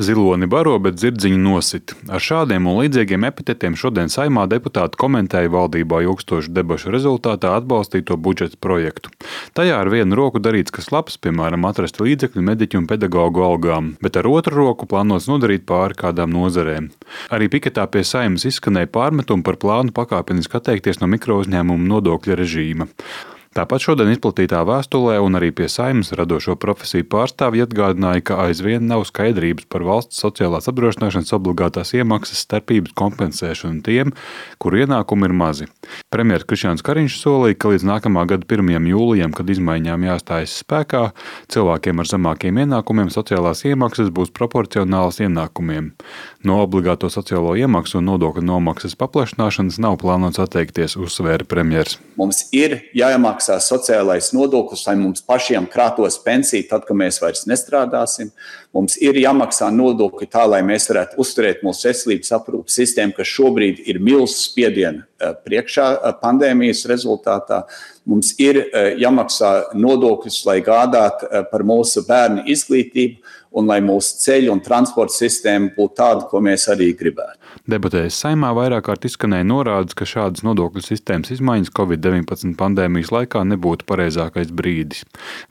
Ziloni baro, bet dzirdziņu nosit. Ar šādiem un līdzīgiem epitetiem šodien Saeimā deputāti komentēja valdībā ilgstošu debašu rezultātā atbalstīto budžeta projektu. Tajā ar vienu roku darīts kas labs, piemēram, atrast līdzekļu mediķu un pedagogu algām, bet ar otru roku plānots nodarīt pāri kādām nozarēm. Arī piketā pie Saeimas izskanēja pārmetumi par plānu pakāpeniski atteikties no mikrouzņēmumu nodokļa režīma. Tāpat šodien izplatītā vēstulē un arī pie Saeimas radošo profesiju pārstāvji atgādināja, ka aizvien nav skaidrības par valsts sociālās apdrošināšanas obligātās iemaksas starpības kompensēšanu tiem, kuru ienākumi ir mazi. Premjers Krišjāns Kariņš solīja, ka līdz nākamā gada 1. jūlijam, kad izmaiņām jāstājas spēkā, cilvēkiem ar zemākiem ienākumiem sociālās iemaksas būs proporcionālas ienākumiem. No obligāto sociālo iemaksu un nodokļu nomaksas paplašināšanas nav plānots atteikties, uzsvēra premjers. Mums ir jāiemaksā sociālais nodoklis, lai mums pašiem krātos pensiju tad, kad mēs vairs nestrādāsim. Mums ir jāmaksā nodokļi tā, lai mēs varētu uzturēt mūsu veselības aprūpes sistēmu, kas šobrīd ir milzu spiediena priekšā pandēmijas rezultātā. Mums ir jāmaksā nodokļus, lai gādātu par mūsu bērnu izglītību un lai mūsu ceļu un transporta sistēma būtu tāda, ko mēs arī gribētu. Debatēs Saeimā vairāk kārt izskanēja norādes, ka šādas nodokļu sistēmas izmaiņas Covid-19 pandēmijas laikā nebūtu pareizākais brīdis.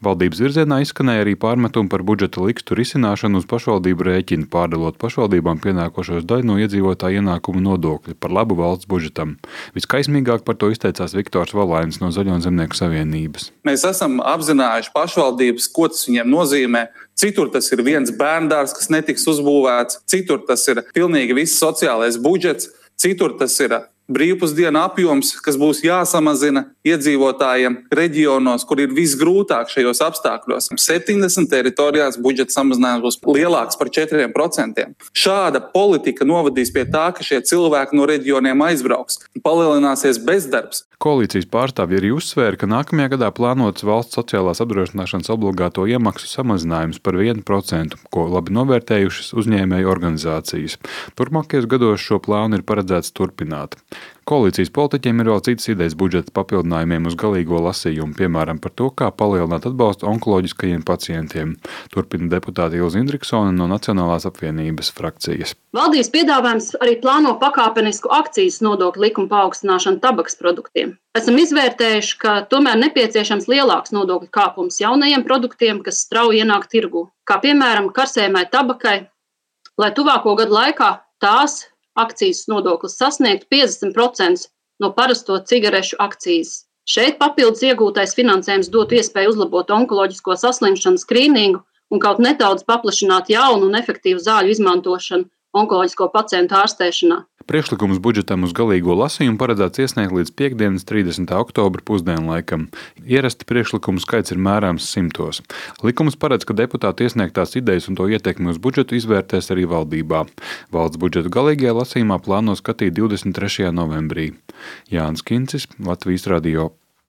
Valdības virzienā izskanēja arī pārmetumi par budžeta likstu risināšanu uz pašvaldību rēķinu, pārdalot pašvaldībām pienākošos daļu no iedzīvotāju ienākumu nodokļa par labu valsts budžetam. Viskaismīgāk par to izteicās Viktors Valainis no Zaļo un Zemnieku savienības. Mēs esam apzinājuši pašvaldības, ko tas viņiem nozīmē. Citur tas ir viens bērndārs, kas netiks uzbūvēts, citur tas ir pilnīgi viss sociālais budžets, citur tas ir brīvpusdienu apjoms, kas būs jāsamazina iedzīvotājiem reģionos, kur ir visgrūtāk šajos apstākļos. 70 teritorijās budžeta samazinājums būs lielāks par 4%. Šāda politika novadīs pie tā, ka šie cilvēki no reģioniem aizbrauks. Palielināsies bezdarbs. Koalīcijas pārstāvji arī uzsvēra, ka nākamajā gadā plānots valsts sociālās apdrošināšanas obligāto iemaksu samazinājums par 1%, ko labi novērtējušas uzņēmēju organizācijas. Turpmākajos gados šo plānu ir paredzēts turpināt. Koalīcijas politiķiem ir vēl citas idejas budžeta papildinājumiem uz galīgo lasījumu, piemēram, par to, kā palielināt atbalstu onkoloģiskajiem pacientiem. Turpina deputāte Ilze Indriksone no Nacionālās apvienības frakcijas. Valdības piedāvājums arī plāno pakāpenisku akcijas nodokļu likumu paaugstināšanu tabaks produktiem. Esam izvērtējuši, ka tomēr nepieciešams lielāks nodokļu kāpums jaunajiem produktiem, kas strauji ienāk tirgū, kā piemēram karsējumai tabakai, lai tuvāko gadu laikā tās akcijas nodoklis sasniegtu 50% no parasto cigarešu akcijas. Šeit papildus iegūtais finansējums dotu iespēju uzlabot onkoloģisko saslimšanu skrīningu un kaut nedaudz paplašināt jaunu un efektīvu zāļu izmantošanu onkoloģisko pacientu ārstēšanā. Priekšlikums budžetam uz galīgo lasījumu paredzēts iesniegt līdz piektdienas 30. oktobra pusdienlaikam. Ierasti priekšlikumu skaits ir mērāms 100. Likums paredz, ka deputāti iesniegtās idejas un to ietekmi uz budžetu izvērtēs arī valdībā. Valsts budžetu galīgajā lasījumā plāno skatīt 23. novembrī. Jānis Kincis, Latvijas radio.